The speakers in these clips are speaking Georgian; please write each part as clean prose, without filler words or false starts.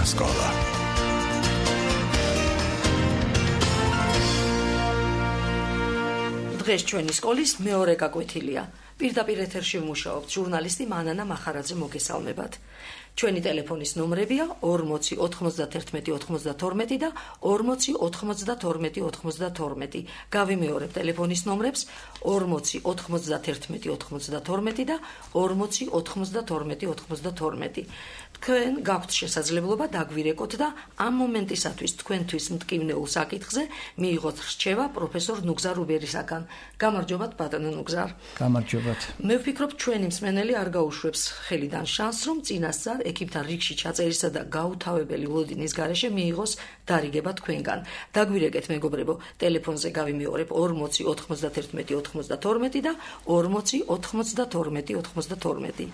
სკოლა. დღეს ჩვენი სკოლის მეორე გაკვეთილია. პირდაპირ ეთერში ვმუშაობთ ჟურნალისტი მანანა მახარაძე მოგესალმებათ. ჩვენი ტელეფონის ნომრებია 40 91 92 და 40 92 92. გავიმეორებ ტელეფონის ნომრებს 40 91 92 და 40 92 92. თქვენ გაქვთ შესაძლებლობა დაგვირეკოთ და ამ მომენტისათვის თქვენთვის მტკივნეულ საკითხზე მიიღოთ რჩევა პროფესორ ნუგზარ უბერისაგან. გამარჯობათ ბატონო ნუგზარ. გამარჯობათ. მე ვფიქრობ ჩვენი მსმენელი არ გაუშვებს ხელიდან შანსს, რომ წინასწარ ექიპთან რიგში ჩაწერისა და გაუთავებელი ლოდინის გარეშე მიიღოს დარიგება თქვენგან. დაგვირეკეთ მეგობრებო, ტელეფონზე გავიმეორებ 40 91 92 და 40 92 92.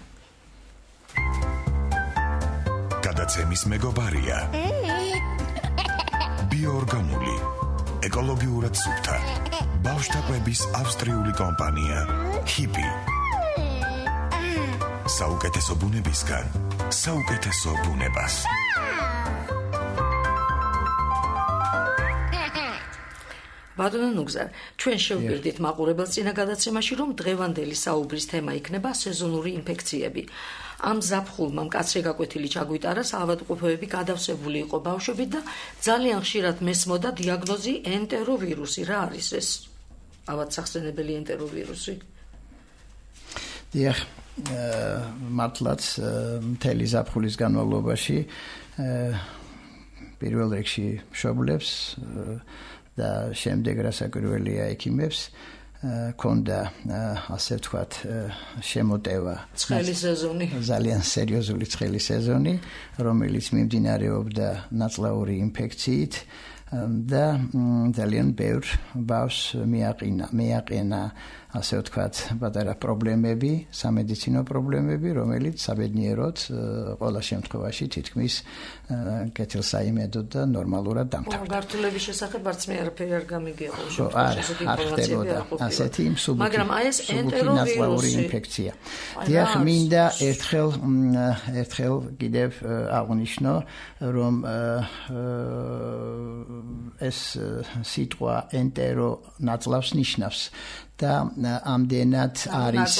გადაცემის მეგობარია ბიოორგანული, ეკოლოგიურად სუფთა, ბავშვთა კვების ავსტრიული კომპანია ჰიპი. საუკეთესო ბუნებისგან საუკეთესო ბუნებას. ბატონო ნუგზარ, ჩვენ შევგვირდით მაყურებელს წინა გადაცემაში, რომ დღევანდელი საუბრის თემა იქნება სეზონური ინფექციები. ამ ზაფხულმა მკაცრი გაკვეთილი ჩაგვიტარა, საავადმყოფოები გადავსებული იყო ბავშვებით და ძალიან ხშირად მესმოდა დიაგნოზი ენტეროვირუსი. რა არის ეს ავადსახსენებელი ენტეროვირუსი? დიახ, მართლაც მთელი ზაფხულის განმავლობაში პირველ რიგში მშობლებს და შემდეგ რასაკვირველია ექიმებს ქონდა ასე ვთქვათ შემოტევა ცხელი სეზონი, ძალიან სერიოზული ცხელი სეზონი, რომელიც მიმდინარეობდა ნაწლავური ინფექციით და ძალიან ბევრ ბავშვს მიაყენა ასე ვთქვათ პატარა პრობლემები, სამედიცინო პრობლემები, რომელიც საბედნიეროდ ყველა შემთხვევაში თითქმის კეთილსაიმედოდ და ნორმალურად დამთავრდა. გართულების შესახებ არც მე არაფერი არ გამიგია. არ ხდებოდა ასეთი მსუბუქი, მაგრამ აი ეს ენტეროვირუსი ინფექცია. დიახ, მინდა ერთხელ კიდევ აღვნიშნო, რომ ეს სიტყვა ენტერო ნაწლავს ნიშნავს და ამდენად არის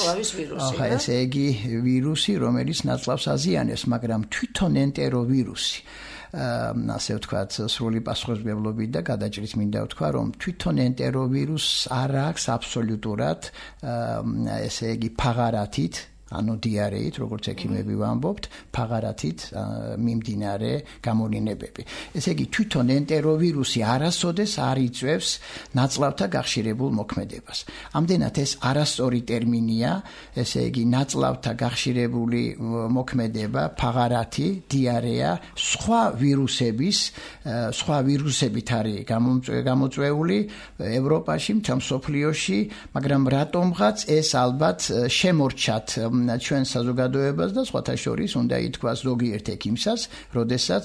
ესე იგი ვირუსი, რომელიც ნაწლავს აზიანებს, მაგრამ თვითონ ენტეროვირუსი ასე ვთქვათ სრული პასუხისმგებლობით და გადაჭრით მინდა ვთქვა, რომ თვითონ ენტეროვირუსს არ აქვს აბსოლუტურად ესე იგი ფაღარათით, ანუ დიარეით, როგორც ექიმები ვამბობთ, ფაღარათით მიმდინარე გამონინებები. ესე იგი თვითონ ენტეროვირუსი არასოდეს არ იწვევს ნაწლავთა გახშირებულ მოქმედებას. ამდენად ეს არასწორი ტერმინია, ესე იგი ნაწლავთა გახშირებული მოქმედება, ფაღარათი, დიარეა, სხვა ვირუსებით არის გამოწვეული ევროპაში, მთელ მსოფლიოში, მაგრამ რატომღაც ეს ალბათ შემორჩათ ჩვენ საზოგადოებას და სხვათა შორის უნდა ითქვას ზოგიერთ ექიმსაც, როდესაც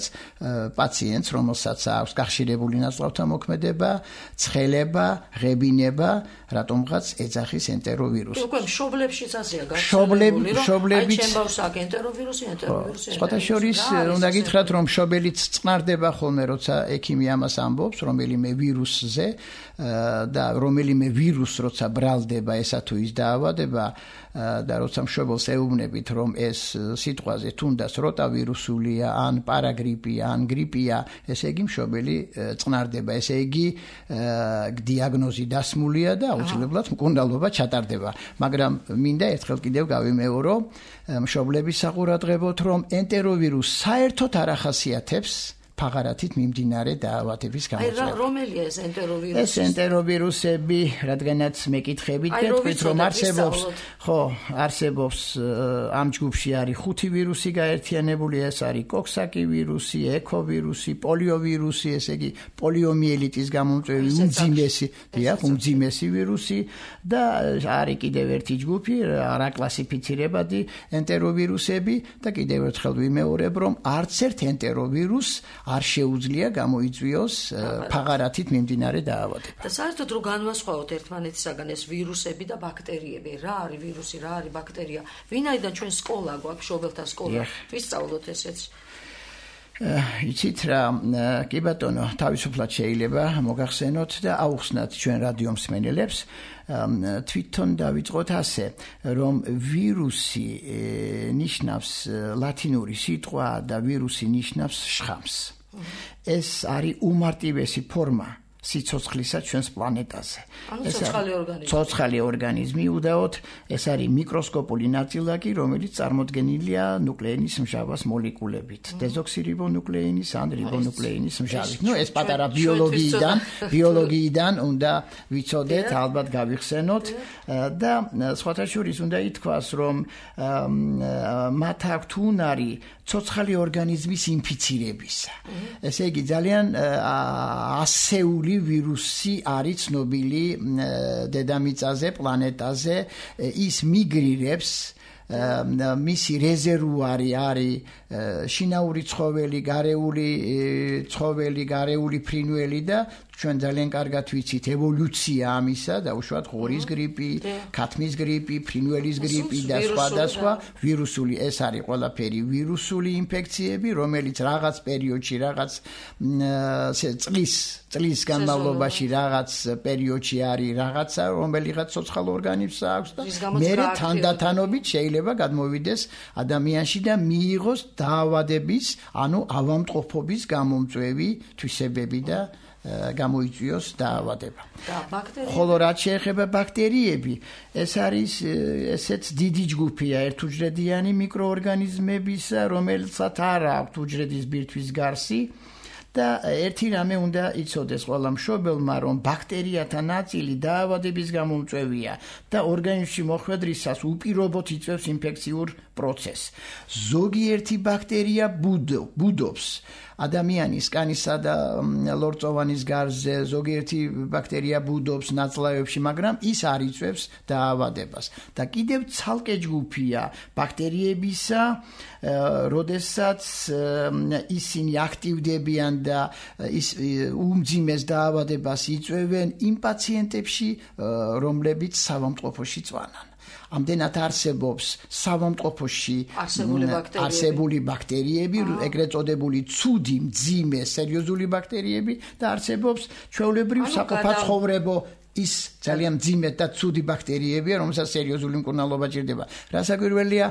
პაციენტს, რომელსაც აქვს გახშირებული ნაწლავთა მოქმედება, ცხელება, ღებინება, რატომღაც ეძახის ენტეროვირუსი. უკვე მშობლებშიც ასეა გახსენებული, რომ ჩემ ბავშვს აქვს ენტეროვირუსი. სხვათა შორის უნდა გითხრათ, რომ მშობელიც წყნარდება ხოლმე, როცა ექიმი ამას ამბობს, რომელიმე ვირუსზე და რომელიმე ვირუსს როცა ბრალდება ესა თუ ის დაავადება და როცა მშობელს ეუბნებით, რომ ეს სიტყვაზე თუნდაც როტავირუსულია, ან პარაგრიპია, ან გრიპია, ესე იგი მშობელი წყნარდება, ესე იგი დიაგნოზი დასმულია და აუცილებლად მკურნალობა ჩატარდება. მაგრამ მინდა ერთხელ კიდევ გავიმეორო მშობლების საყურადღებოდ, რომ ენტეროვირუსი საერთოდ არ ახასიათებს ფაღარათით მიმდინარე დაავადების გამოწვევა. აი რომელია ეს ენტეროვირუსი? ეს ენტეროვირუსები, რადგანაც მეკითხებით და თქვით რომ არსებობს ამ ჯგუფში არის 5 ვირუსი გაერთიანებული, ეს არის კოქსაკი ვირუსი, ეკოვირუსი, პოლიოვირუსი, ესე იგი პოლიომიელიტის გამომწვევი უმძიმესი ვირუსი და არის კიდევ ერთი ჯგუფი, არაკლასიფიცირებადი ენტეროვირუსები და კიდევ ერთხელ ვიმეორებ, რომ არც ერთ ენტეროვირუსს არ შეუძლია გამოიწვიოს ფაღარათით მიმდინარე დაავადება. და საერთოდ რო განვასხვაოთ ერთმანეთისაგან ეს ვირუსები და ბაქტერიები, რა არის ვირუსი, რა არის ბაქტერია, ვინაიდან ჩვენ სკოლა გვაქვს, მშობელთა სკოლა, ვისწავლოთ ესეც. იცით რა, კი ბატონო, თავისუფლად შეიძლება მოგახსენოთ და აუხსნათ ჩვენ რადიო მსმენელებს, თვითონ დავიწყოთ ასე, რომ ვირუსი ნიშნავს ლათინური სიტყვა და ვირუსი ნიშნავს შხამს. ეს არის უმარტივესი ფორმა სიცოცხლისა ჩვენს პლანეტაზე. ეს ცოცხალი ორგანიზმი უდაოდ, ეს არის მიკროსკოპული ნაწილაკი, რომელიც წარმოდგენილია ნუკლეინის მჟავას მოლეკულებით. დეზოქსირიბონუკლეინის ან რიბონუკლეინის მჟავით. ეს პატარა ბიოლოგიიდან უნდა ვიცოდეთ, ალბათ გავიხსენოთ და სხვათა შორის უნდა ითქვას, რომ მათ აქვთ უნარი ცოცხალი ორგანიზმის ინფიცირებისა. ესე იგი ძალიან ასეული ვირუსი არის ცნობილი დედამიწაზე, პლანეტაზე, ის მიგრირებს, მისი რეზერვუარი არის შინაური ცხოველი, გარეული ფრინველი და ჩვენ ძალიან კარგად ვიცით ევოლუცია ამისა და უშუალოდ ღორის გრიპი, ქათმის გრიპი, ფრინველის გრიპი და სხვა ვირუსული, ეს არის ყველაფერი ვირუსული ინფექციები, რომელიც რაღაც პერიოდში, რაღაც წლის განმავლობაში რაღაც პერიოდში არის რაღაცა, რომელიღაც ცოცხალ ორგანიზმს აქვს და მერე თანდათანობით შეიძლება გადმოვიდეს ადამიანში და მიიღოს დაავადების, ანუ ავადმყოფობის გამომწვევი თვისებები და გამოიწვიოს დაავადება. ხოლო რაც შეეხება ბაქტერიები, ეს არის ესეც დიდი ჯგუფია ერთუჯრედიანი მიკროორგანიზმებისა, რომელსაც არ აქვს უჯრედის ბირთვის გარსი და ერთი რამე უნდა იცოდეს ყველა მშობელმა, რომ ბაქტერიათა ნაწილი დაავადების გამომწვევია და ორგანიზმში მოხვედრისას უპირობოდ იწვევს ინფექციურ პროცესს. ზოგიერთი ბაქტერია ბუდობს ადამიანის კანისა და ლორწოვანის გარსზე, ზოგიერთი ბაქტერია ბუდობს ნაწლავებში, მაგრამ ის არ იწვევს დაავადებას. და კიდევ ცალკე ჯგუფია ბაქტერიებისა, როდესაც ისინი აქტივდებიან და ის უმძიმეს დაავადებას იწვევენ იმ პაციენტებში, რომლებიც საავადმყოფოში წვანან. ამდენად არსებობს საავადმყოფოში არსებული ბაქტერიები, ეგრეთ წოდებული ცუდი, მძიმე, სერიოზული ბაქტერიები და არსებობს ჩვეულებრივ საყოფაცხოვრებო ის ძალიან მძიმე და ცუდი ბაქტერიებია, რომელსაც სერიოზული მკურნალობა ჭირდება. რასაკვირველია,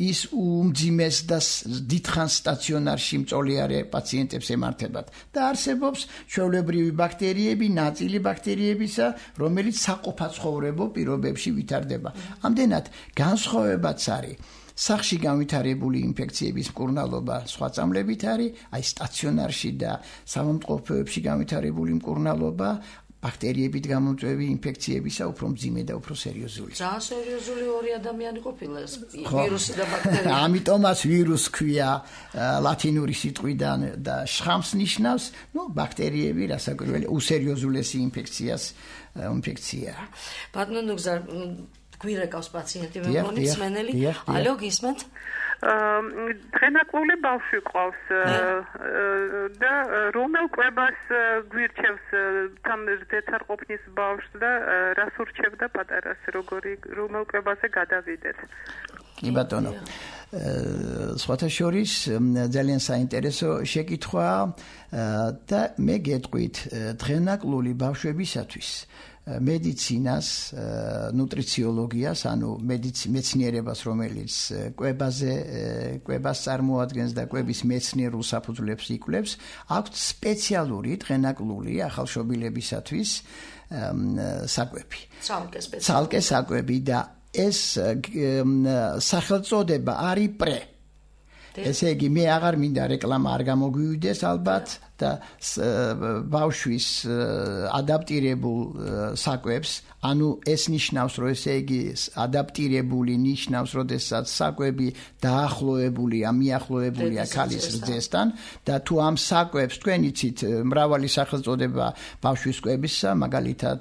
ის უმძიმეს და დიდხანს სტაციონარში მწოლიარე პაციენტებს ემართებათ და არსებობს ჩვეულებრივი ბაქტერიები, ნაწილი ბაქტერიებისა, რომელიც საყოფაცხოვრებო პირობებში ვითარდება. ამდენად განსხვავებაც არის სახში განვითარებული ინფექციების მკურნალობა სხვა წამლებით არის, აი სტაციონარში და საავადმყოფოებში განვითარებული მკურნალობა ბაქტერიებით გამომწვევი ინფექციებისა უფრო მძიმე და უფრო სერიოზული. ძალიან სერიოზული ორი ადამიანი ყოფილა ეს ვირუსი და ბაქტერია. ამიტომაც ვირუსი ქვია ლათინური სიტყვიდან და შხამს ნიშნავს, ბაქტერიები რასაკვირველია უსერიოზულესი ინფექცია. ბატონო ნუგზარ, გვირეკავს პაციენტი მე მგონი მსმენელი. ალო, გისმენთ? დღენაკლული ბავშვი ყავს და რომელ კვებას გვირჩევს თან ზეთარყოფნის ბავშვს და რას ურჩევდა პატარას, რომელ კვებაზე გადავიდეთ? კი ბატონო. სხვათა შორის ძალიან საინტერესო შეკითხვა და მე გეტყვით დღენაკლული ბავშვებისათვის მედიცინას, ნუტრიციოლოგიას, ანუ მეცნიერებას, რომელიც კვებას წარმოადგენს და კვების მეცნიერულ საფუძვლებს იკვლევს, აქვს სპეციალური დღენაკლული ახალშობილებისათვის საკვები. ცალკე საკვები და ეს სახელწოდება არის პრე. ესე იგი, მე აღარ მინდა რეკლამა არ გამოგვივიდეს ალბათ და ბავშვის ადაპტირებულ საკვებს, ანუ ეს ნიშნავს, რომ ესე იგი ადაპტირებული ნიშნავს, როდესაც საკვები დაახლოებულია, მიახლოებულია ქალის რძესთან და თუ ამ საკვებს თქვენ იცით მრავალი სახელწოდება ბავშვის კვებისა, მაგალითად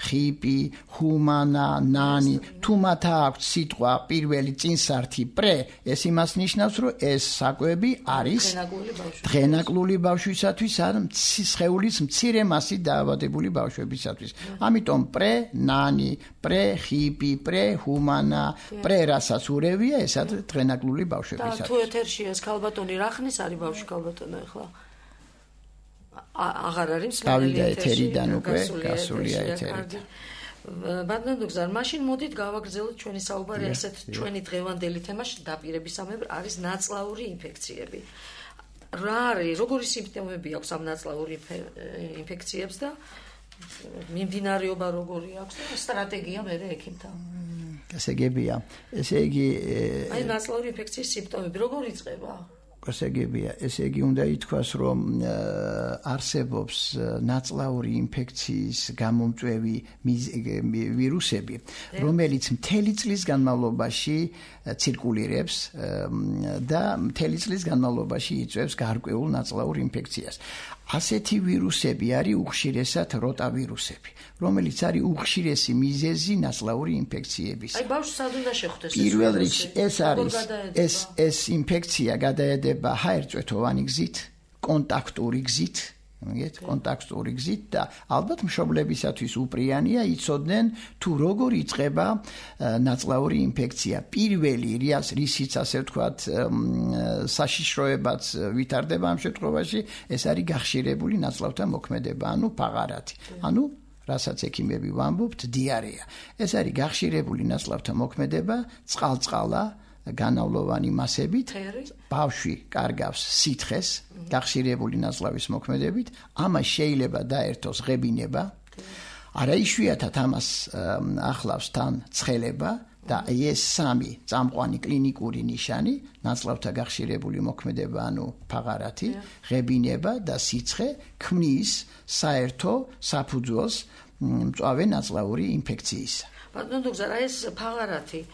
ხიპი, ჰუმანა, ნანი, თუ მათ აქვს სიტყვა პირველი წინსართი პრე, ეს იმას ნიშნავს, რომ ეს საკვები არის დღენაკლული ბავშვისათვის ბავშვებისათვის ან სხეულის მცირე მასით დაავადებული ბავშვებისათვის. ამიტომ პრე-ნანი, პრე-ხიპი, პრე-ჰუმანა, პრე-რასაც ურევია, ესა დღენაკლული ბავშვებისათვის. და თუ ეთერში ეს ქალბატონი რა ხნის არის ბავშვი ქალბატონო ახლა? აღარ არის გავიდა ეთერიდან უკვე, გასულია ეთერიდან. ბატონო დოქტორ, მაშინ მოდით გავაგრძელოთ ჩვენი საუბარი ასეთ ჩვენი დღევანდელი თემა დაპირებისამებრ არის ნაწლავური ინფექციები. რა არის, როგორი სიმპტომები აქვს ამ ნაწლავური ინფექციებს და მიმდინარეობა როგორი აქვს და სტრატეგია მერე ექიმთან? გასაგებია. ესე იგი აი ნაწლავური ინფექციის სიმპტომები როგორ იწყება? გასაგებია, ესე იგი უნდა ითქვას, რომ არსებობს ნაწლავური ინფექციის გამომწვევი ვირუსები, რომელიც მთელი წლის განმავლობაში ცირკულირებს და მთელი წლის განმავლობაში იწვევს გარკვეულ ნაწლავურ ინფექციას. ასეთი ვირუსები არის უხშირესად როტავირუსები, რომელიც არის უხშირესი მიზეზი ნაწლავური ინფექციების. აი ბავშვს სად უნდა შეხვდეს? პირველ რიგში ეს არის ეს ინფექცია გადაედება ჰაერწვეთოვანი გზით, კონტაქტური გზით, მოგეთ, კონტაქტური გზით და ალბათ მშობლებისათვის უპრიანია იცოდნენ თუ როგორ იწყება ნაწლავური ინფექცია. პირველი რისიც ასე ვთქვათ საშიშროებაც ვითარდება ამ შემთხვევაში, ეს არის გახშირებული ნაწლავთა მოქმედება, ანუ პაღარათი. ანუ რასაც ექიმები ვამბობთ, დიარეა. ეს არის გახშირებული ნაწლავთა მოქმედება, წყალ-წყალა განავლოვანი მასებით, ბავშვი კარგავს სითხეს, გახშირებული ნაწლავის მოქმედებით, ამას შეიძლება დაერთოს ღებინება, არაიშვიათად ამას ახლავს თან ცხელება და ეს სამი წამყვანი კლინიკური ნიშანი, ნაწლავთა გახშირებული მოქმედება, ანუ პაღარათი, ღებინება და სიცხე ქმნის საერთო საფუძველს მწვავე ნაწლავური ინფექციისა. ბატონო დოქტორ, ეს პაღარათი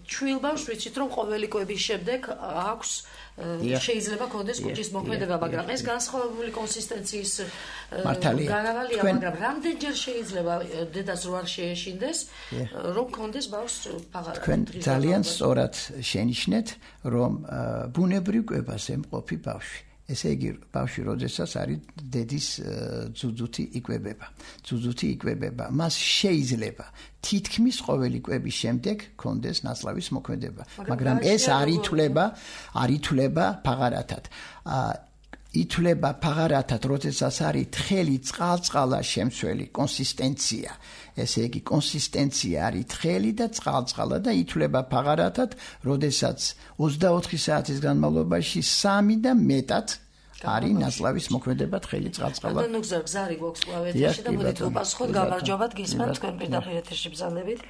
ჩვილ ბავშვს ვიცით რომ ყოველი კვების შემდეგ აქვს შეიძლება კონდეს კუჭის მოქმედება, მაგრამ ეს განსხვავებული კონსისტენციის გარავალია, მაგრამ რამდენჯერ შეიძლება დედას რო არ შეეშინდეს, რომ კონდეს ბავშვს პაღარათი? თქვენ ძალიან სწორად შენიშნეთ, რომ ბუნებრივ კვებაზე მყოფი ბავშვი. ესე იგი, ბავშვი როდესაც არის დედის ძუძუთი იკვებება. მას შეიძლება თითქმის ყოველი კვების შემდეგ კონდეს ნაწლავის მოქმედება, მაგრამ ეს არ ითვლება პაღარათად. ითვლება პაღარათად, როდესაც არის თხელი წყალ-წყალა შემცველი კონსისტენცია. ესე იგი, კონსისტენცია არის თხელი და წყალ-წყალა და ითვლება პაღარათად, როდესაც 24 საათის განმავლობაში 3 და მეტად არის ნაწლავის მოქმედება თხელი წყალ-წყალა. ანუ გზარი გვაქვს კლავეთში და მოდით უპასუხოთ, გამარჯობათ, გისმენთ თქვენ პირდაპირ ეთერში ბრძანებით.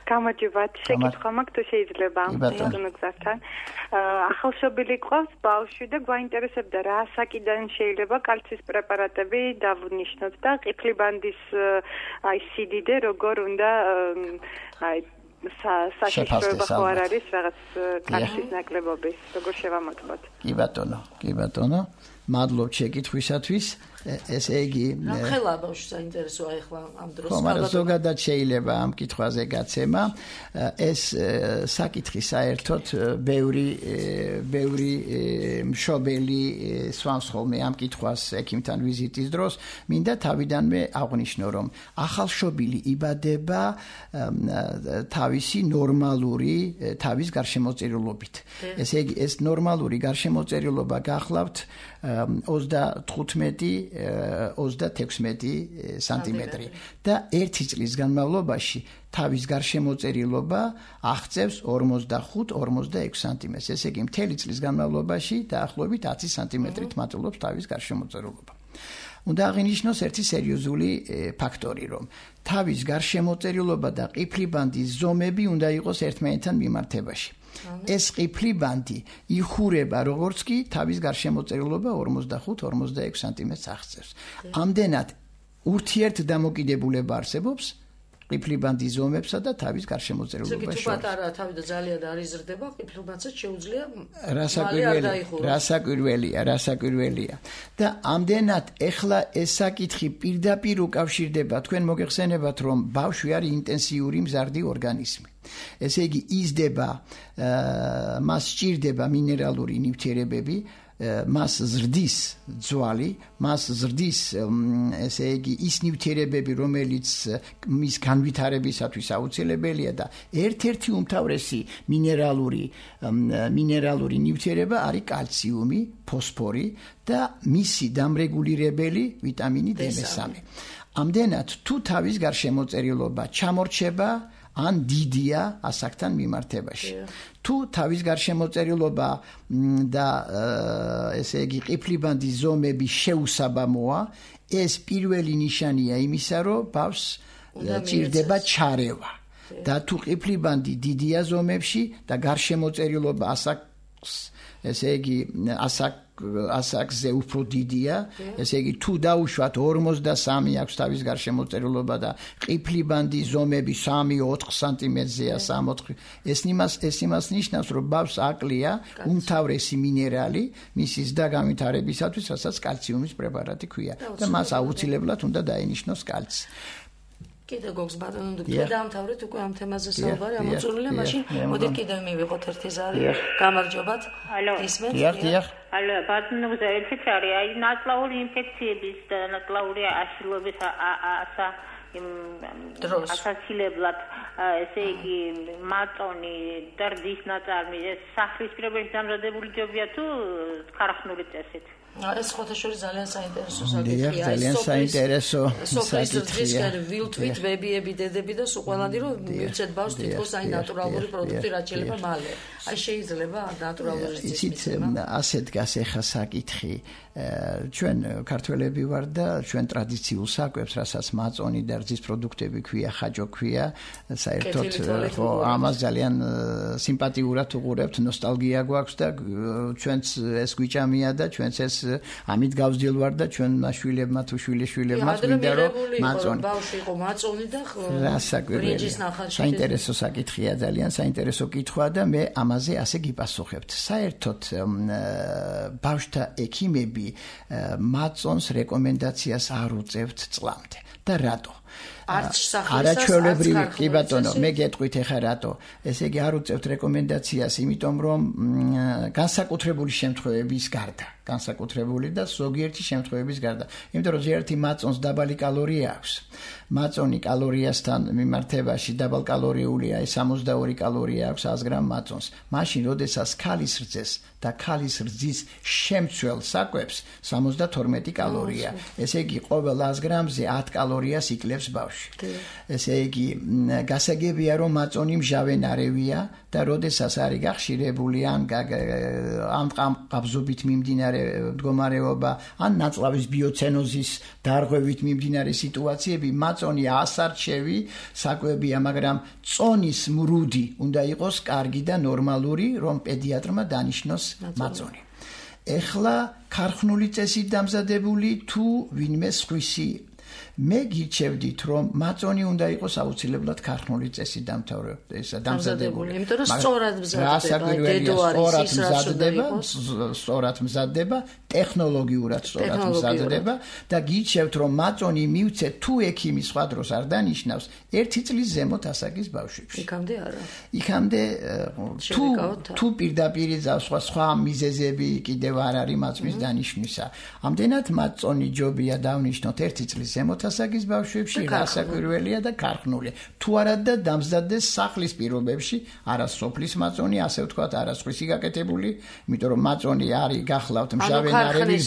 გამარჯობათ, შეკითხვა მაქვს თუ შეიძლება ბატონო გზართან. ახალშობილი ყავს ბავშვი და გვაინტერესებდა რა საკიდან შეიძლება კალციის პრეპარატები დავნიშნოთ და ყიფლიბანდის აი სიდიდე როგორ უნდა აი საშიშროება ხო არ არის რაღაც კალციის ნაკლებობის, როგორ შევამოწმოთ? კი ბატონო, მადლობ შეკითხვისათვის. ესე იგი, ხელა ბავშვს საინტერესოა ახლა ამ დროს. ხო, მაგრამ ზოგადად შეიძლება ამ კითხვაზე გაცემა. ეს საკითხი საერთოდ ბევრი მშობელი სვამს ხოლმე ამ კითხვას ექიმთან ვიზიტის დროს. მინდა თავიდანვე აღვნიშნო, რომ ახალშობილი იბადება თავისი ნორმალური თავის გარშემოწირულობით. ესე იგი, ეს ნორმალური გარშემოწირულობა გახლავთ 35-36 სანტიმეტრი და 1 წლის განმავლობაში თავის გარშემოწირულობა აღწევს 45-46 სანტიმეტრს. ესე იგი, მთელი წლის განმავლობაში დაახლოებით 10 სანტიმეტრით მატულობს თავის გარშემოწირულობა. უნდა აღინიშნოს ერთი სერიოზული ფაქტორი, რომ თავის გარშემოწირულობა და ყიფლიბანდის ზომები უნდა იყოს ერთმანეთთან მიმართებაში. ეს ყიფლიბანდი იხურება როგორც კი თავის გარშემოწირულობა 45-46 სანტიმეტრს აღწევს. ამდენად ურთიერთდამოკიდებულება არსებობს ყიფლიბანდის ზომებსა და თავის გარშემოწირულობაში. თუ პატარა თავი და ძალიან არ იზრდება, ყიფლიბანდსაც შეუძლია რასაკვირველია. და ამდენად ეხლა ეს საკითხი პირდაპირ უკავშირდება, თქვენ მოგეხსენებათ, რომ ბავშვი არის ინტენსიური მზარდი ორგანიზმი. ესე იგი, იზრდება, მას სჭირდება მინერალური ნივთიერებები, მას ზრდის ძვალი, მას ზრდის ესე იგი ის ნივთიერებები, რომელიც მის განვითარებისათვის აუცილებელია და ერთ-ერთი უმთავრესი მინერალური ნივთიერება არის კალციუმი, ფოსფორი და მისი დამრეგულირებელი ვიტამინი D3. ამდენად თუ თავის გარშემოწერილობა ჩამორჩება ან დიდია ასაკთან მიმართებაში. თუ თავის გარშემოწერილობა და ესე იგი ყიფლიბანდის ზომები შეუსაბამოა, ეს პირველი ნიშანია იმისა, რომ ბავშვს ჭირდება ჩარევა. და თუ ყიფლიბანდი დიდია ზომებში და გარშემოწერილობა ასაკს, ესე იგი ასაკზე უფრო დიდია, ესე იგი თუ დაუშვათ 43 აქვს თავის გარშემოწერილობა და ყიფლიბანდის ზომები 3-4 სანტიმეტრზეა, 3-4. ეს იმას ნიშნავს, რომ ბავშვს აკლია უმთავრესი მინერალი მისი ზრდა განვითარებისათვის, რასაც კალციუმის პრეპარატი ქვია და მას აუცილებლად უნდა დაენიშნოს კალცი. კიდე გოგს ბატონო დოქტორ დაამთავრეთ უკვე ამ თემაზე საუბარი ამოწურვილია მაშინ მოდით კიდე მივიღოთ ერთი ზარი გამარჯობათ ისმენთ ალო ბატონო ზეცით არის აი ნაწლავური ინფექციების და ნაწლავური აშლობის ასაცილებლად ესე იგი მაწონი და რძის ნაწარმი ეს სახლის პირობებში დამზადებული ჯობია თუ ქარხნული წესით ეს ხოთაშორის ძალიან საინტერესო საკითხია. ძალიან საინტერესო საკითხია. ვილთვით ბებიები, დედები და სულ ყველანი რომ მივცეთ ბავშვს თითქოს აი ნატურალური პროდუქტი რაც შეიძლება მალე. აი შეიძლება ნატურალური რძის მიცემა. ასე დგას ახლა საკითხი. ჩვენ ქართველები ვარ და ჩვენ ტრადიციულ საკვებს, რასაც მაწონი და რძის პროდუქტები ქვია, ხაჯო ქვია, საერთოდ ხო ამას ძალიან სიმპათიურად უყურებთ, ნოსტალგია გვაქვს და ჩვენც ეს გვიჭამია და ჩვენც ეს ამით გავსჯელვარ და ჩვენ მაშვილებმა თუ შვილიშვილებმა მინდა რომ მაწონი ბავშვი იყო მაწონი და ბრინჯის ნახალში საინტერესო საკითხია ძალიან საინტერესო კითხვა და მე ამაზე ასე გიპასუხებთ საერთოდ ბავშვთა ექიმები მაწონს რეკომენდაციას არ უწევთ წლამდე და რატო არაჩვეულებრივი კი ბატონო მე გეტყვით ეხა რატო ესე იგი არ უწევთ რეკომენდაციას იმიტომ რომ განსაკუთრებული შემთხვევების გარდა განსაკუთრებული და ზოგიერთი შემთხვევების გარდა იმიტომ რომ ზოგიერთი მაწონს დაბალი კალორია აქვს მაწონი კალორიასთან მიმართებაში დაბალკალორიულია 62 კალორია აქვს 100 გრამ მაწონს მაშინ როდესაც ქალის რძეს და ქალის რძის შემცველ საკვებს 72 კალორია ესე იგი ყოველ 100 გრამზე 10 კალორიას იკლებს ბავშვი ესე იგი გასაგებია რომ მაწონი მჟავენარევია და როდესაც არის გახშირებული ან ყაბზობით მიმდინარე მდგომარეობა ან ნაწლავის ბიოცენოზის დარღვევით მიმდინარე სიტუაციები მაწონი ასარჩევი საკვებია მაგრამ წონის მრუდი უნდა იყოს კარგი და ნორმალური რომ პედიატრმა დანიშნოს მაწონი ეხლა ქარხნული წესით დამზადებული თუ ვინმე სხვისი მე გირჩევდით რომ მაწონი უნდა იყოს აუცილებლად ქარხნული წესით დამზადებული იმიტომ რომ სწორად მზადდება სწორად მზადდება ტექნოლოგიურად სწორად მზადდება და გირჩევთ რომ მაწონი მივცეთ თუ ექიმი სხვა დროს არ დანიშნავს 1 წლის ზემოთ ასაკის ბავშვებში იქამდე არა იქამდე თუ პირდაპირ სხვა მიზეზები კიდევ არ არის მაწმის დანიშვნისა ამდენად მაწონი ჯობია დავნიშნოთ 1 წლის ზემოთ ასაკის ბავშვებში რასაკვირველია და ქარხნული თუ არა და დამზადდეს სახლის პირობებში არა სოფლის მაწონი ასე ვთქვათ არა სხვისი გაკეთებული იმიტომ რომ მაწონი არის გახლავთ მჟავენარევი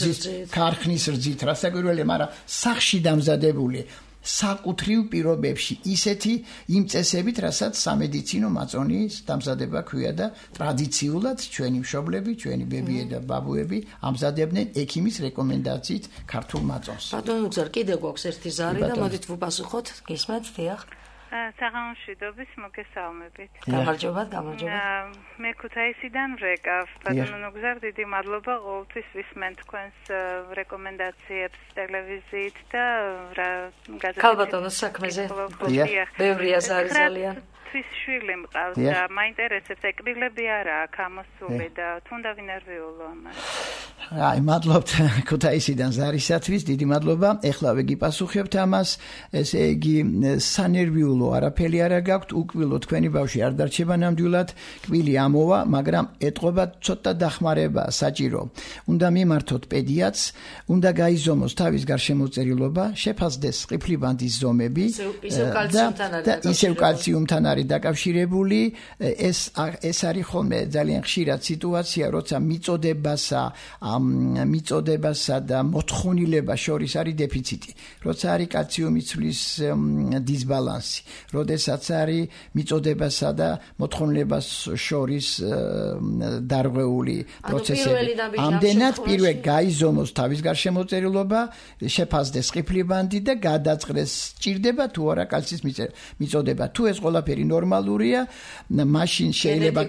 ქარხნის რძით რასაკვირველია მაგრამ სახში დამზადებული საკუთრივ პირობებში ისეთი იმ წესებით რასაც სამედიცინო მაწონის დამზადება ქვია და ტრადიციულად ჩვენი მშობლები ჩვენი ბებიები და ბაბუები ამზადებდნენ ექიმის რეკომენდაციით ქართულ მაწონს ბატონო გზარ კიდე გვაქვს ერთი ზარი და მოდით ვუპასუხოთ გისმენთ დიახ საღამოშვიდობის მოგესალმებით. გამარჯობათ. მე ქუთაისიდან ვრეკავ. ბატონო გზარ დიდი მადლობა ყოველთვის ვისმენ თქვენს რეკომენდაციებს ტელევიზიით და გაზეთებში. ქალბატონო საქმეზე. ბევრია ზარი ძალიან. თვის შვილი მყავს და მაინტერესებს ეკრილები არა აქვს ამოსული და თუნდა ვინერვიულო ამას. აი, მადლობთ ქუთაისიდან ზარისათვის, დიდი მადლობა. ეხლა ვიგიპასუხებთ ამას. ესე იგი, სანერვიულო არაფერი არა გაქვთ, უკვილო თქვენი ბავშვი არ დარჩება ნამდვილად, კვილი ამოვა, მაგრამ ეტყობა ცოტა დახმარება საჭირო. უნდა მიმართოთ პედიატრს, უნდა გაიზომოს თავის გარშემოწერილობა, შეფასდეს ყიფლიბანდის ზომები და ისევ კალციუმთან არის დაკავშირებული. ეს არის ხოლმე ძალიან ხშირად სიტუაცია, როცა მიწოდებასა და მოთხოვნილებას შორის არის დეფიციტი, როცა არის კალციუმის ცვლის დისბალანსი, როდესაც არის მიწოდებასა და მოთხოვნილებას შორის დარღვეული პროცესები. ამდენად პირველ გაიზომოს თავის გარშემოწერილობა, შეფასდეს ყიფლიბანდი და გადაწყდეს ჭირდება თუ არა კალციის მიწოდება. თუ ეს ყველაფერი ნორმალურია, მაშინ შეიძლება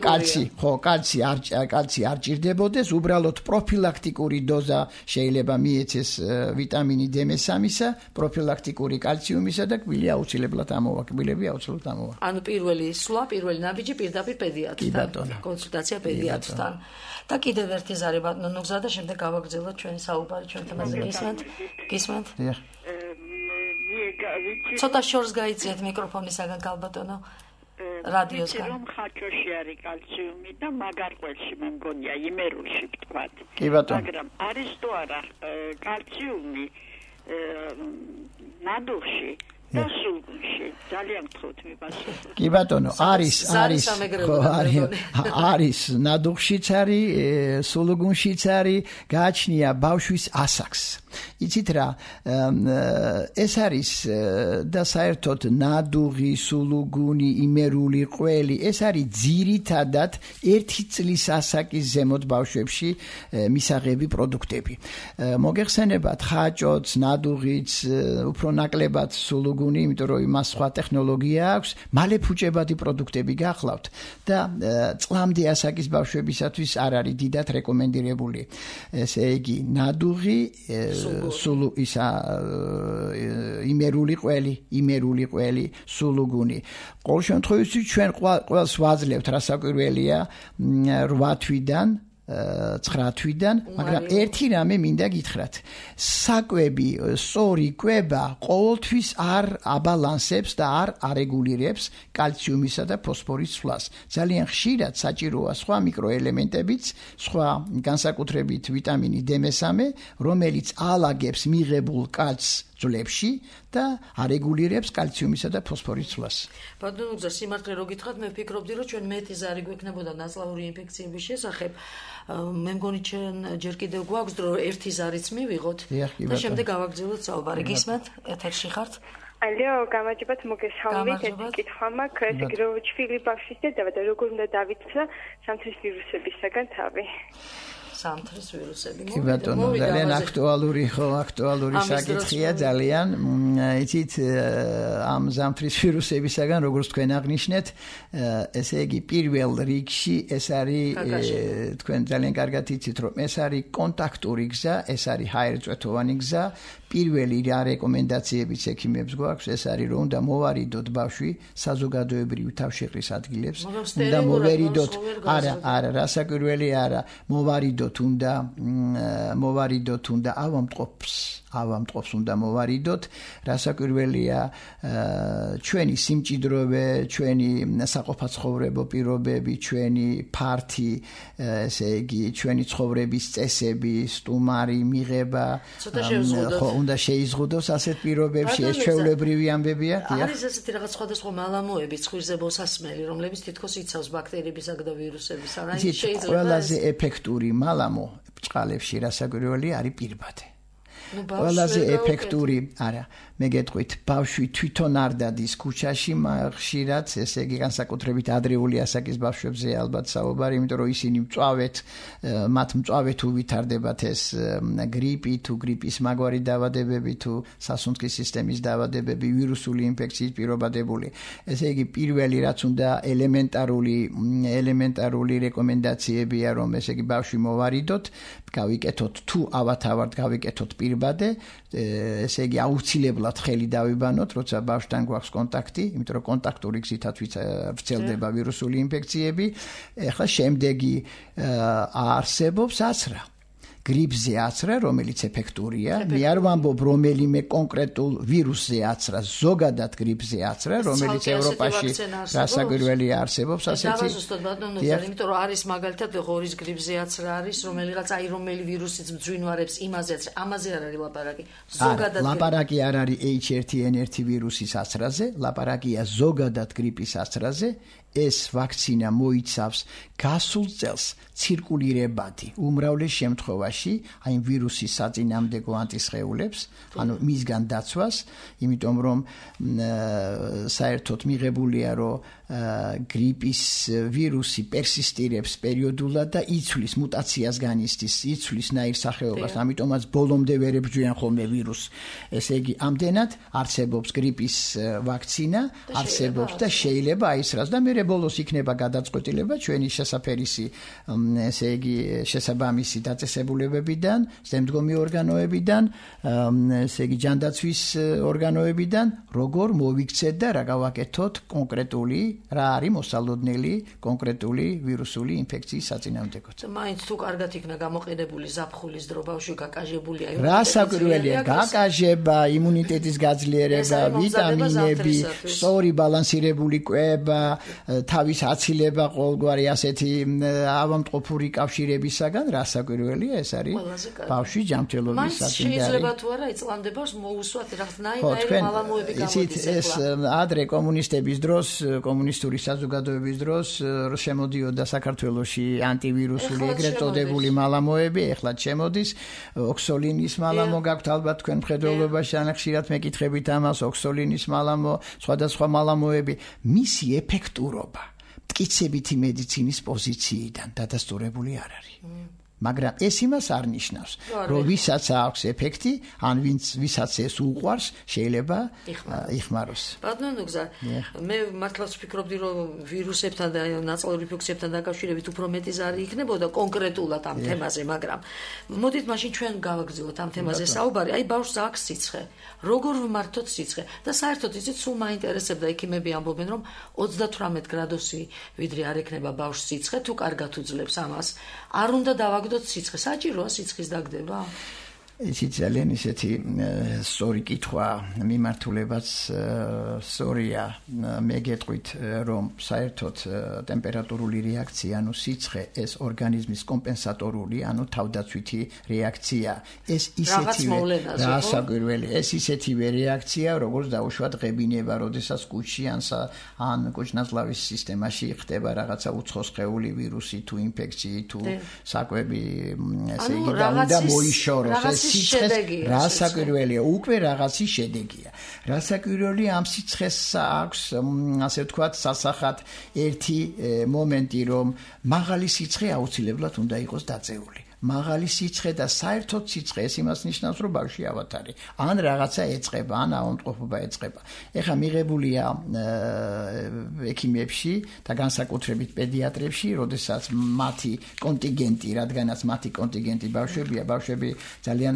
კალცი არ ჭირდებოდეს, უბრალოდ პროფილაქტიკური დოზა შეიძლება მიეცეს ვიტამინი D3-ისა, პროფილაქტიკური კალციუმისა და კვილი აუცილებლად ამოვა, კბილები აუცილებლად ამოვა. ანუ პირველი ნაბიჯი პირდაპირ პედიატრთან, კონსულტაცია პედიატრთან. და კიდევ ერთი ზარი ბატონო გზა და შემდეგ გავაგრძელოთ ჩვენი საუბარი ჩვენ თემაზე. გისმენთ? ცოტა შორს გაიძიეთ მიკროფონისაგან გალბატონო. რადიოსგან. რომ ხაჭოში არის კალციუმი და მაგარყველში მე მგონია იმერულში ვთქვათ. მაგრამ არის თუ არა კალციუმი ნადუხში და სულგუნში ძალიან გთხოვთ მიპასუხოთ. კი ბატონო, არის ნადუხშიც არის, სულგუნშიც არის, გააჩნია ბავშვის ასაკს. იცით რა, ეს არის და საერთოდ ნადუღი, სულუგუნი, იმერული ყველი, ეს არის ძირითადად 1 წლის ასაკის ზემოთ ბავშვებში მისაღები პროდუქტები. მოგეხსენებათ ხაჭოც, ნადუღიც, უფრო ნაკლებად სულუგუნი, იმიტომ რომ იმას სხვა ტექნოლოგია აქვს, მალე ფუჭებადი პროდუქტები გახლავთ და წლამდე ასაკის ბავშვებისათვის არ არის დიდად რეკომენდირებული. ესე იგი, ნადუღი იმერული ყველი, სულუგუნი. ყოველ შემთხვევაში ჩვენ ყველს ვაძლევთ რასაკვირველია 8 თვიდან 9 თვიდან, მაგრამ ერთი რამე მინდა გითხრათ. საკვები, სწორი კვება ყოველთვის არ აბალანსებს და არ არეგულირებს კალციუმისა და ფოსფორის ცვლას. ძალიან ხშირად საჭიროა სხვა მიკროელემენტებიც, სხვა განსაკუთრებით ვიტამინი D3, რომელიც ალაგებს მიღებულ კალცს ძვლებში და არეგულირებს კალციუმისა და ფოსფორის ცვლას. ბატონო გზა, სიმართლე რო გითხრათ, მე ვფიქრობდი, რომ ჩვენ მეტი ზარი გვექნებოდა ნაწლავური ინფექციების შესახებ. მე მგონი ჩვენ ჯერ კიდევ გვაქვს დრო ერთი ზარიც მივიღოთ და შემდეგ გავაგრძელოთ საუბარი. გისმენთ? ეთერში ხართ? ალო, გამარჯობათ, მოგესალმებით. ეს კითხვა მაქვს, ეს გრო ჩვილი ბავშვის დედა და როგორ უნდა დავიცვა სამთრის ვირუსებისაგან თავი? სამთრის ვირუსები. კი ბატონო, ძალიან აქტუალური საკითხია ძალიან. იცით, ამ სამთრის ვირუსებისაგან, როგორც თქვენ აღნიშნეთ, ესე იგი, პირველ რიგში ეს არის, თქვენ ძალიან კარგად იცით, რომ ეს არის კონტაქტური გზა, ეს არის ჰაერწვეთოვანი გზა. პირველი რეკომენდაციებიც ექიმებს გვაქვს, ეს არის, რომ უნდა მოვარიდოთ ბავშვი საზოგადოებრივი თავშეყრის ადგილებს, უნდა მოვერიდოთ, არა, რასაკვირველი არა, მოვარიდოთ უნდა ავამტყოფს უნდა მოვარიდოთ. რასაკვირველია, ჩვენი სიმჭიდროვე, ჩვენი საყოფაცხოვრებო პირობები, ჩვენი ფართი, ესე იგი, ჩვენი ცხოვრების წესები, სტუმარი, მიღება, უნდა შეიზღუდოს ასეთ პირობებში, ეს ჩვეულებრივი ამბებია. არის ესეთი რაღაც სხვადასხვა მალამოები, ცხვირზე ბოსასმელი, რომლებიც თითქოს იცავს ბაქტერიებისა და ვირუსების. ყველაზე ეფექტური მალამო ბჭყალებში რასაკვირველი არის პირბადე. ყველაზე ეფექტური, არა, მე გეტყვით, ბავშვი თვითონ არ დადის ქუჩაში, ხშირად, ესე იგი, განსაკუთრებით ადრეული ასაკის ბავშვებზე ალბათ საუბარი, იმიტომ რომ ისინი მათ მწვავედ უვითარდებათ ეს გრიპი, თუ გრიპის მაგვარი დაავადებები, თუ სასუნთქის სისტემის დაავადებები, ვირუსული ინფექციით პირობადებული. ესე იგი, პირველი რაც უნდა ელემენტარული რეკომენდაციებია, რომ ესე იგი, ბავშვი მოვარიდოთ, გავიკეთოთ თუ ავათავართ, გავიკეთოთ პირბადე, ესე იგი, აუცილებლად ხელი დავიბანოთ, როცა ბავშვთან გვაქვს კონტაქტი, იმიტომ რომ კონტაქტური გზითაც ვრცელდება ვირუსული ინფექციები. ეხლა შემდეგი არსებობს აცრა. გრიპზე აცრა, რომელიც ეფექტურია. მე არ ვამბობ რომელიმე კონკრეტულ ვირუსზე აცრა, ზოგადად გრიპზე აცრა, რომელიც ევროპაში რასაკვირველია არსებობს ასეთი. დავაზუსტოთ ბატონო, იმიტომ რომ არის მაგალითად ღორის გრიპზე აცრა არის, რომელიღაც აი რომელი ვირუსიც მძვინვარებს იმაზე აცრა, ამაზე არ არის ლაპარაკი. ზოგადად ლაპარაკი არ არის H1N1 ვირუსის აცრაზე, ლაპარაკია ზოგადად გრიპის აცრაზე. ეს ვაქცინა მოიცავს გასულ წელს ცირკულირებადი უმრავლეს შემთხვევაში აი ვირუსის საწინააღმდეგო ანტისხეულებს, ანუ მისგან დაცვას, იმიტომ რომ საერთოდ მიღებულია რომ გრიპის ვირუსი პერსისტირებს პერიოდულად და იცვლის მუტაციას განიცდის, იცვლის ნაირსახეობას, ამიტომაც ბოლომდე ვერ ებრძვიან ხოლმე ვირუსს. ესე იგი, ამდენად არსებობს გრიპის ვაქცინა, არსებობს და შეიძლება აისრას და მე ბოლოს იქნება გადაწყვეტილება ჩვენი შესაფერისი, ესე იგი, შესაბამისი დაწესებულებებიდან, შემდგომი ორგანოებიდან, ესე იგი, ჯანდაცვის ორგანოებიდან, როგორ მოვიქცეთ და რა გავაკეთოთ კონკრეტული, რა არის მოსალოდნელი კონკრეტული ვირუსული ინფექციის საწინააღმდეგოდ. მაინც თუ კარგად იქნა გამოყენებული ზაფხულის დრო ბავშვი გაკაჟებულია, რასაკვირველია, გაკაჟება, იმუნიტეტის გაძლიერება, ვიტამინები, სწორი ბალანსირებული კვება, თავის აცილება ყოველგვარი ასეთი ავამტყოფური კავშირებისაგან, რასაკვირველია, ეს არის ბავშვის ჯანმრთელობის საწინააღმდეგო. შეიძლება თუ არა იწლამდებას მოусვათ რაღაცნაირი მალამოები გამოდის ეს ადრე კომუნისტების დროს, კომუნისტური საზოგადოების დროს შემოდიოდა საქართველოში ანტივირუსული ეგრეთ წოდებული მალამოები, ეხლა შემოდის ოქსოლინის მალამო გაქვთ ალბათ თქვენ მხედველობაში, ან ხშირად მეკითხებით ამას, ოქსოლინის მალამო, სხვადასხვა მალამოები, მისი ეფექტურობა მტკიცებითი მედიცინის პოზიციიდან დადასტურებული არ არის. მაგრამ ეს იმას არ ნიშნავს, რომ ვისაც აქვს ეფექტი, ან ვისაც ეს უყვარს, შეიძლება იხმაროს. ბატონო გზა, მე მართლაც ვფიქრობდი, რომ ვირუსებთან და ნაწლავური ინფექციებთან დაკავშირებით უფრო მეტი ზარი იქნებოდა კონკრეტულად ამ თემაზე, მაგრამ მოდით მაშინ ჩვენ გავაგრძელოთ ამ თემაზე საუბარი. აი ბავშვს აქვს სიცხე. როგორ ვმართოთ სიცხე? და საერთოდ იცით, სულ მაინტერესებდა ექიმები ამბობენ, რომ 38 გრადუსი ვიდრე არ ექნება ბავშვს სიცხე, თუ კარგად უძლებს ამას. არ უნდა დავაგდოთ სიცხე, საჭიროა სიცხის დაგდება? ისიც ძალიან ისეთი სწორი კითხვა, მიმართულებაც სწორია. მე გეტყვით, რომ საერთოდ ტემპერატურული რეაქცია, ანუ სიცხე, ეს ორგანიზმის კომპენსატორული, ანუ თავდაცვითი რეაქცია. ეს ისეთივე რასაკვირველი, ეს ისეთივე რეაქცია, როგორც დაუშვათ ღებინება, როდესაც კუჭში ან კუჭნაზლავის სისტემაში ხდება რაღაცა უცხო სხეული, ვირუსი თუ ინფექცია თუ საკვები, ესე იგი და მოიშოროს ეს რასაკვირველია, უკვე რაღაცის შედეგია. რასაკვირველია ამ სიცხეს აქვს, ასე ვთქვათ, სასახად ერთი მომენტი, რომ მაღალი სიცხე აუცილებლად უნდა იყოს დაწეული. მაღალი სიცხე და საერთოდ სიცხე ეს იმას ნიშნავს, რომ ბავშვი ავათარი, ან რაღაცა ეწყება, ან ავადმყოფობა ეწყება. ეხლა მიღებულია ექიმებში და განსაკუთრებით პედიატრებში, როდესაც მათი კონტინგენტი, რადგანაც მათი კონტინგენტი ბავშვებია, ბავშვები ძალიან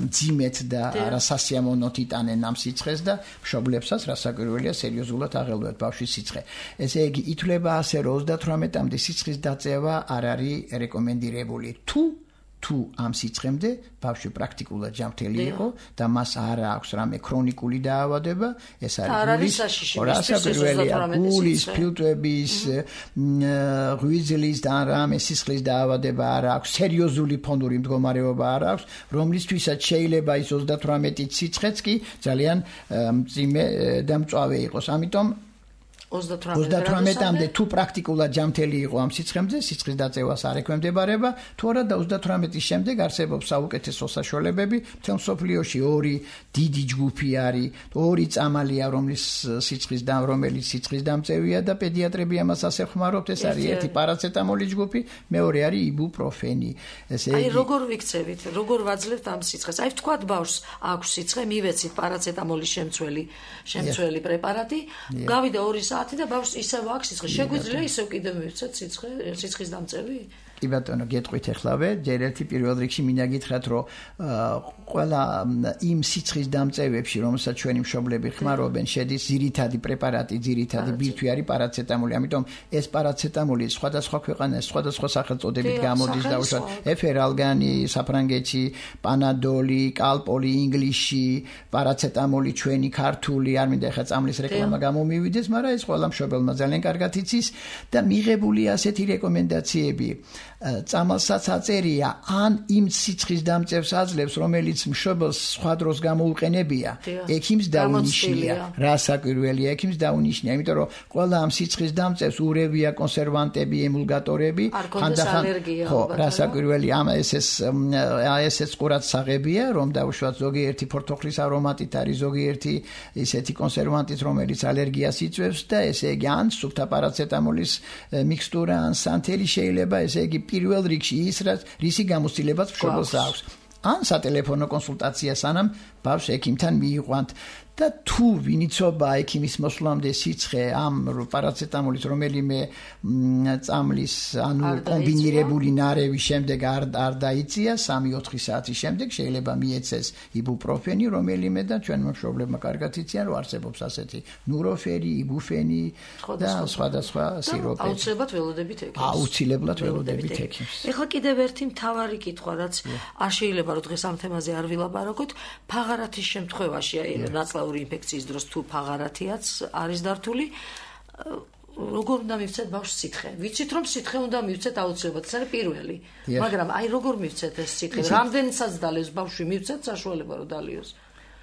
მძიმედ და არასასიამოვნოდ იტანენ ამ სიცხეს და მშობლებსაც რასაკვირველია სერიოზულად აღელვათ ბავშვის სიცხე. ესე იგი, ითვლება ასე, რომ 38-მდე სიცხის დაწევა არ არის რეკომენდირებული. თუ ამ სიცხემდე ბავშვი პრაქტიკულად ჯანმრთელი იყო და მას არ აქვს რამე ქრონიკული დაავადება, ეს არის გულის, ფილტვების, ღვიძლის და რამე სისხლის დაავადება არ აქვს, სერიოზული ფონური მდგომარეობა არ აქვს, რომლისთვისაც შეიძლება ის 38 სიცხეც კი ძალიან მძიმე და მწვავე იყოს. ამიტომ 38-მდე თუ პრაქტიკულად ჯანმრთელი იყო ამ სიცხემდე, სიცხის დაწევას არ ექვემდებარება, თუ არა და 38-ის შემდეგ არსებობს საუკეთესო საშუალებები. მთელ მსოფლიოში ორი დიდი ჯგუფი არის, ორი წამალია, რომელიც სიცხის დამწევია და პედიატრები ამას ასე ხმარობთ. ეს არის ერთი პარაცეტამოლის ჯგუფი, მეორე არის იბუპროფენი. ესე იგი, როგორ ვიქცევით, როგორ ვაძლევთ ამ სიცხეს? აი ვთქვათ ბავშვს აქვს სიცხე, მივეცით პარაცეტამოლის შემცველი პრეპარატი, გავიდა 2 საათი და ბავშვს ისევ აქვს სიცხე. შეგვიძლია ისევ კიდევ მივცეთ სიცხის დამწევი? კი ბატონო, გეტყვით ეხლავე, ჯერ ერთი პირველ რიგში მინდა გითხრათ, რომ ყველა იმ სიცხის დამწევებში, რომელსაც ჩვენი მშობლები ხმარობენ, შედის ძირითადი პრეპარატი, ძირითადი ბირთვი არის პარაცეტამოლი. ამიტომ ეს პარაცეტამოლი სხვადასხვა ქვეყანაში, სხვადასხვა სახელწოდებით გამოდის, დაუშვათ ეფერალგანი საფრანგეთში, პანადოლი, კალპოლი ინგლისში, პარაცეტამოლი ჩვენი ქართული, არ მინდა ეხლა წამლის რეკლამა გამომივიდეს, მაგრამ ეს ყველა მშობელმა ძალიან კარგად იცის და მიღებულია ასეთი რეკომენდაციები. წამალსაც აწერია ან იმ სიცხის დამწევს აძლევს, რომელიც მშობელს სხვა დროს გამოუყენებია, ექიმს დაუნიშნია, რა საკვირველია, ექიმს დაუნიშნია, იმიტომ რომ ყველა ამ სიცხის დამწევს ურევია კონსერვანტები, ემულგატორები, ხანდახან ხო, რა საკვირველია, ესეც ყურად საღებია, რომ დაუშვათ ზოგიერთი ფორთოხლის არომატით არის, ზოგიერთი ისეთი კონსერვანტით, რომელიც ალერგიას იწვევს და ესე იგი ან სუფთა პარაცეტამოლის მიქსტურა, ან სანთელი შეიძლება, ესე იგი პირველ რიგში ის, რისი გამოცდილებაც მშობელს აქვს. ან სატელეფონო კონსულტაცია სანამ ბავშვს ექიმთან მიიყვანთ და თუ ვინიცობა ექიმის მოსვლამდე სიცხე ამ პარაცეტამოლის რომელიმე წამლის ანუ კომბინირებული ნარევის შემდეგ არ დაიწია 3-4 საათის შემდეგ შეიძლება მიეცეს იბუპროფენი რომელიმე და ჩვენმა მშობლებმა კარგად იციან რომ არსებობს ასეთი ნუროფენი, იბუფენი და სხვადასხვა სიროპები. აუცილებლად ველოდებით ექიმს. აუცილებლად ველოდებით ექიმს. ეხლა კიდევ ერთი მთავარი კითხვა რაც არ შეიძლება რომ დღეს ამ თემაზე არ ვილაპარაკოთ, ფაღარათის შემთხვევაში ნაცვლად ინფექციის დროს თუ ფაღარათიაც არის დართული, როგორ უნდა მივცეთ ბავშვს სითხე? ვიცით რომ სითხე უნდა მივცეთ აუცილებლად, ეს არის პირველი. მაგრამ აი როგორ მივცეთ ეს სითხე? რამდენიცაც დალევს ბავშვი მივცეთ საშუალება რომ დალიოს?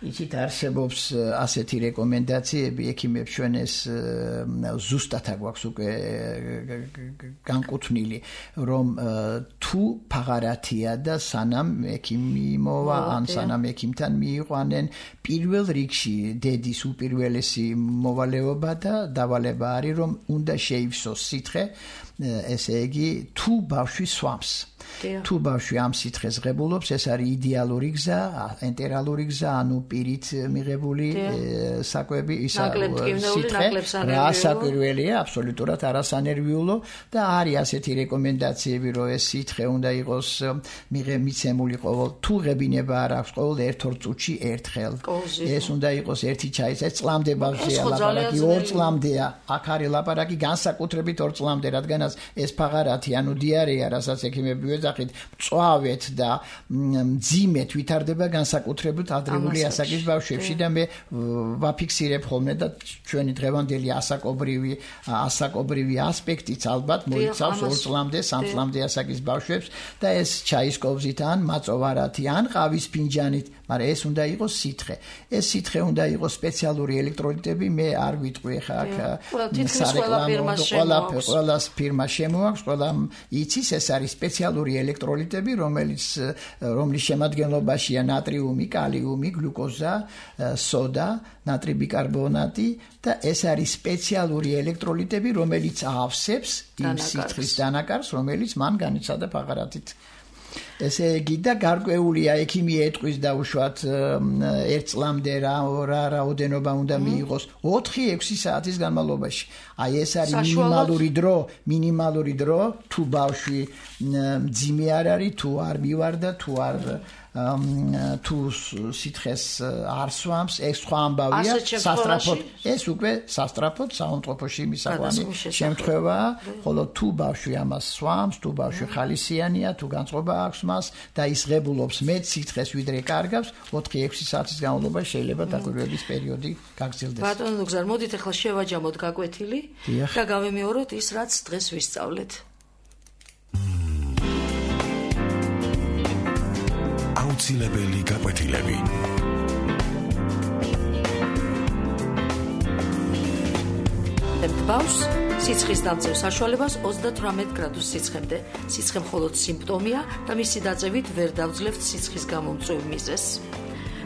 იცით არსებობს ასეთი რეკომენდაციები ექიმებს ჩვენ ეს ზუსტად აგვაქვს უკვე განკუთვნილი რომ თუ ფაღარათია და სანამ ექიმი მოვა ან სანამ ექიმთან მიიყვანენ პირველ რიგში დედის უპირველესი მოვალეობა და დავალება არის რომ უნდა შეივსოს სითხე ესე იგი თუ ბავშვი სვამს თუ ბავშვი ამ სითხეს ღებულობს ეს არის იდეალური გზა ენტერალური გზა ანუ პირით მიღებული საკვები ისა სითხე რა საკვირველია აბსოლუტურად არასანერვიულო და არის ასეთი რეკომენდაციები რომ ეს სითხე უნდა იყოს მიცემული ყოველ თუ ღებინება არ აქვს ყოველ 1-2 წუთში ერთხელ ეს უნდა იყოს ერთი ჩაის ეს წლამდე ბავშვია ლაპარაკი 2 წლამდეა აქ არის ლაპარაკი განსაკუთრებით 2 წლამდე რადგანაც ეს ფაღარათი ანუ დიარეა რასაც ექიმები ეძახით მწვავეთ და მძიმეთ ვითარდება განსაკუთრებით ადრეული ასაკის ბავშვებში და მე ვაფიქსირებ ხოლმე და ჩვენი დღევანდელი ასაკობრივი ასპექტიც ალბათ მოიცავს 2 წლამდე 3 წლამდე ასაკის ბავშვებს და ეს ჩაის კოვზით ან მაწოვარათი ან ყავის ფინჯანით მაგრამ ეს უნდა იყოს სითხე ეს სითხე უნდა იყოს სპეციალური ელექტროლიტები მე არ ვიტყვი ხა აქ ყველა ფირმა შემოაქვს ყველა იცის ეს არის სპეციალური ელექტროლიტები რომლის შემადგენლობაშია ნატრიუმი, კალიუმი, გლუკოზა, სოდა, ნატრიი ბიკარბონატი და ეს არის სპეციალური ელექტროლიტები რომელიც აავსებს იმ სითხის დანაკარგს რომელიც მან განიცადა ფაღარათით ესე იგი და გარკვეულია ექიმი ეტყვის დაუშვათ 1 წლამდე რაოდენობა უნდა მიიღოს 4-6 საათის განმავლობაში. აი ეს არის მინიმალური დრო თუ ბავშვი მძიმე არ არის, თუ არ მივარდა, თუ არ თუ სითხეს არ სვამს, ეს სხვა ამბავია, სასტრაფოდ. ეს უკვე სასტრაფოდ საავადმყოფოში მისაყვანი შემთხვევაა, ხოლო თუ ბავშვი ამას სვამს, თუ ბავშვი ხალისიანია, თუ განწყობა აქვს მას და ის ღებულობს მეტ სითხეს ვიდრე კარგავს, 4-6 საათის განმავლობაში შეიძლება დაკვირვების პერიოდი გაგრძელდეს. ბატონო დოქტორ, მოდით ახლა შევაჯამოთ გაკვეთილი და გავემეოროთ ის, რაც დღეს ვისწავლეთ. აუცილებელი გაკვეთილები. ბავშვს სიცხის დამწევ საშუალებას 38 გრადუს სიცხემდე. სიცხე მხოლოდ სიმპტომია და მისი დაწევით ვერ დავძლევთ სიცხის გამომწვევ მიზეზს.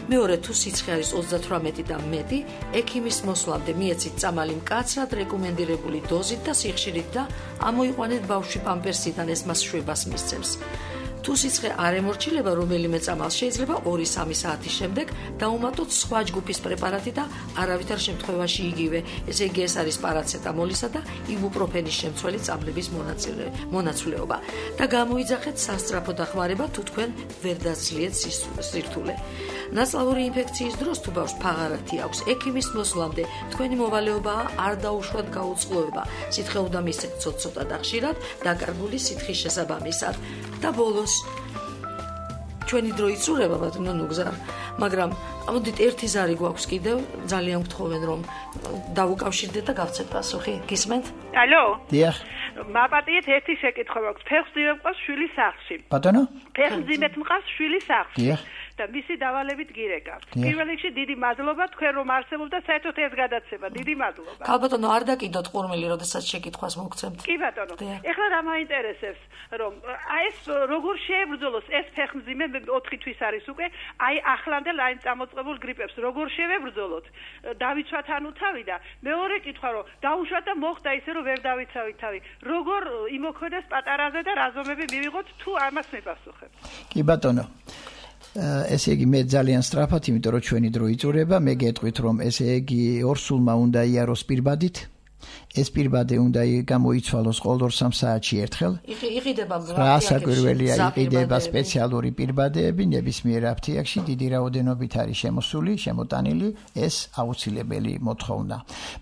მეორე თუ სიცხე არის 38 და მეტი, ექიმის მოსვლამდე მიეცით წამალი მკაცრად რეკომენდირებული დოზით და სიხშირით და ამოიყვანეთ ბავშვი პამპერსიდან ეს მას შვებას მისცემს. თუ სიცხე არ ემორჩილება რომელიმე წამალს შეიძლება 2-3 საათის შემდეგ დაუმატოთ სხვა ჯგუფის პრეპარატი და არავითარ შემთხვევაში იგივე, ესე იგი ეს არის პარაცეტამოლისა და იბუპროფენის შემცველი წამლების მონაცვლეობა და გამოიძახეთ სასწრაფო დახმარება თუ თქვენ ვერ დაძლიეთ სირთულე. ნაცვლაური ინფექციის დროს თუ ბავშვს ფაღარათი აქვს, ექიმის მოსვლამდე თქვენი მოვალეობაა არ დაუშვათ გაუწყლოება. სითხე უნდა მისცეთ ცოტ-ცოტა და ხშირად დაკარგული სითხის შესაბამისად. და ბოლოს ჩვენი დრო იწურება ბატონო ნუგზარ, მაგრამ ამოდით ერთი ზარი გვაქვს კიდევ, ძალიან გთხოვენ რომ დავუკავშირდეთ და გავცეთ პასუხი. გისმენთ? ალო? დიახ. მაპატიეთ ერთი შეკითხვა მაქვს. ფეხმძიმე მყავს შვილის სახლში. ბატონო? ფეხმძიმეთ მყავს შვილის სახლში. დიახ. და მისი დავალებით გირეკავთ. პირველ რიგში დიდი მადლობა თქვენ რომ არსებობთ და საერთოდ ეს გადაცემა. დიდი მადლობა. ქალბატონო, არ დაკიდოთ ყურმელი, როდესაც შეკითხვას მოგცემთ. კი ბატონო. ეხლა რა მაინტერესებს, რომ ეს როგორ შეებრძოლოს ეს ფეხმძიმე 4 თვის არის უკვე, აი ახლანდელ აი წამოწყებულ გრიპებს როგორ შევებრძოლოთ? დავიცვათ ანუ თავი და მეორე კითხვა რომ დაუშვათ და მოხდა ისე რომ ვერ დავიცავით თავი. როგორ იმოქმედებს პატარაზე და რა ზომები მივიღოთ თუ ამას მიპასუხებთ? კი ბატონო. ესე იგი მე ძალიან სწრაფად, იმიტომ რომ ჩვენი დრო იწურება, მე გეტყვით რომ ესე იგი ორსულმა უნდა იაროს პირბადით. ეს პირბადე უნდა გამოიცვალოს ყოველ 2-3 საათში ერთხელ. იყიდება რასაკვირველია, იყიდება სპეციალური პირბადეები ნებისმიერ აფთიაქში, დიდი რაოდენობით არის შემოსული, შემოტანილი, ეს აუცილებელი მოთხოვნა.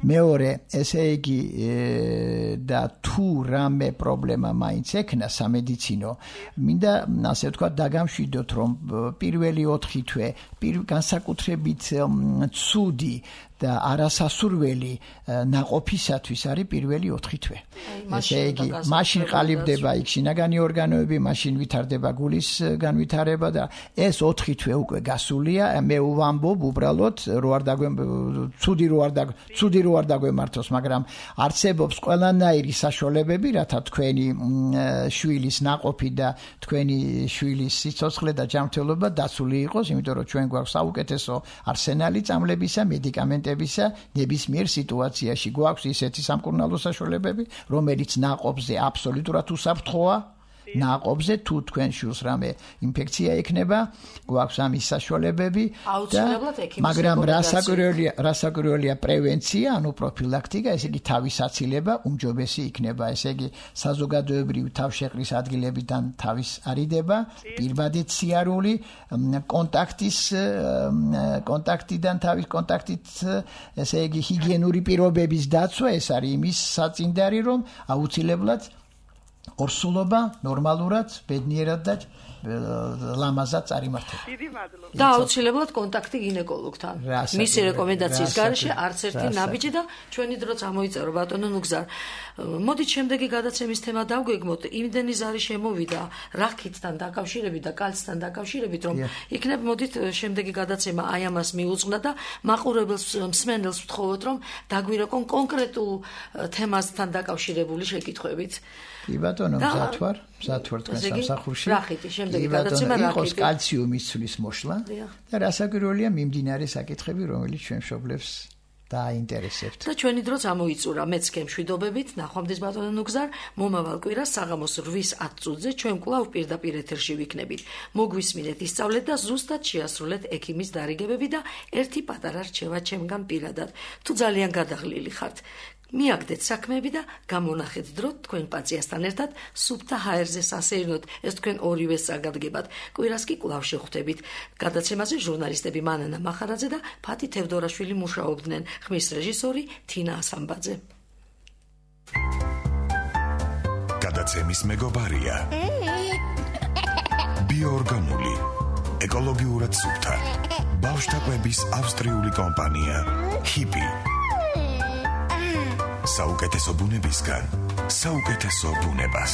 მეორე, ესე იგი და თუ რამე პრობლემა მაინც ექნა სამედიცინო, მინდა ასე ვთქვათ დაგამშვიდოთ, რომ პირველი 4 თვე განსაკუთრებით ცუდი და არასასურველი ნაყოფისათვის არის პირველი 4 თვე. ესე იგი, მაშინ ყალიბდება იქ შინაგანი ორგანოები, მაშინ ვითარდება გულის განვითარება და ეს 4 თვე უკვე გასულია. მე ვამბობ უბრალოდ რო არ ცუდი რო არ დაგვემართოს, მაგრამ არსებობს ყველანაირი საშუალებები, რათა თქვენი შვილის ნაყოფი და თქვენი შვილის სიცოცხლე და ჯანმრთელობა დაცული იყოს, იმიტომ რომ ჩვენ გვაქვს საუკეთესო არსენალი წამლებისა, მედიკამენტებისა, ნებისმიერ სიტუაციაში გვაქვს ისეთი სამკურნალო საშუალებები, რომელიც ნაყოფზე აბსოლუტურად უსაფრთხოა. ნაყოფზე თუ თქვენ შვილს რამე ინფექცია ექნება, გვაქვს ამის საშუალებები და მაგრამ რასაკვირველია პრევენცია, ანუ პროფილაქტიკა, ესე იგი თავისაცილება უმჯობესი იქნება, ესე იგი საზოგადოებრივი თავშეყრის ადგილებიდან თავის არიდება, პირბადით სიარული, კონტაქტიდან თავის კონტაქტით, ესე იგი ჰიგიენური პირობების დაცვა, ეს არის იმის საწინდარი, რომ აუცილებლად ორსულობა ნორმალურად, ბედნიერად და ლამაზად წარიმართება. დიდი მადლობა. და აუცილებლად კონტაქტი გინეკოლოგთან. მისი რეკომენდაციის გარეშე არც ერთი ნაბიჯი და ჩვენი დროც ამოიწერო ბატონო ნუგზარ. მოდით შემდეგი გადაცემის თემა დავგვეგმოთ. იმდენი ზარი შემოვიდა რახითთან დაკავშირებით და კალცთან დაკავშირებით, რომ იქნებ მოდით შემდეგი გადაცემა აი ამას მიუძღვნა და მაყურებელს მსმენელს ვთხოვოთ, რომ დაგვირეკონ კონკრეტულ თემასთან დაკავშირებული შეკითხვებით. კი ბატონო, მზად ვარ თქვენ სამსახურში. რახითი, შემდეგი გადაცემა რახითი. იყოს კალციუმის ცვლის მოშლა და რასაკვირველია მიმდინარე საკითხები, რომელიც ჩვენ მშობლებს დააინტერესებთ. და ჩვენი დროც ამოიწურა, მეც გემშვიდობებით, ნახვამდის ბატონო ნუგზარ, მომავალ კვირას საღამოს 8:10 წუთზე ჩვენ კვლავ პირდაპირ ეთერში ვიქნებით. მოგვისმინეთ, ისწავლეთ და ზუსტად შეასრულეთ ექიმის დარიგებები და ერთი პატარა რჩევა ჩემგან პირადად. თუ ძალიან გადაღლილი ხართ, მიაგდეთ საქმეები და გამონახეთ დრო თქვენ პაციენტთან ერთად სუფთა ჰაერზე სასეირნოდ, ეს თქვენ ორივე საგადგებად. კვირას კი კვლავ შევხვდებით. გადაცემაზე ჟურნალისტები მანანა მახარაძე და ფათი თევდორაშვილი მუშაობდნენ, ხმის რეჟისორი თინა ასამბაძე. გადაცემის მეგობარია ბიოორგანული, ეკოლოგიურად სუფთა, ბავშვთა კვების ავსტრიული კომპანია ჰიპი. საუკეთესო ბუნებისგან, საუკეთესო ბუნებას.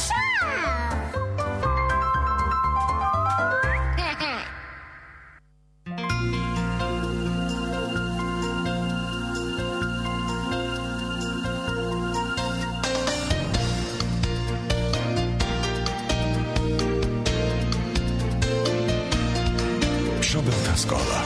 მშობელთა სკოლა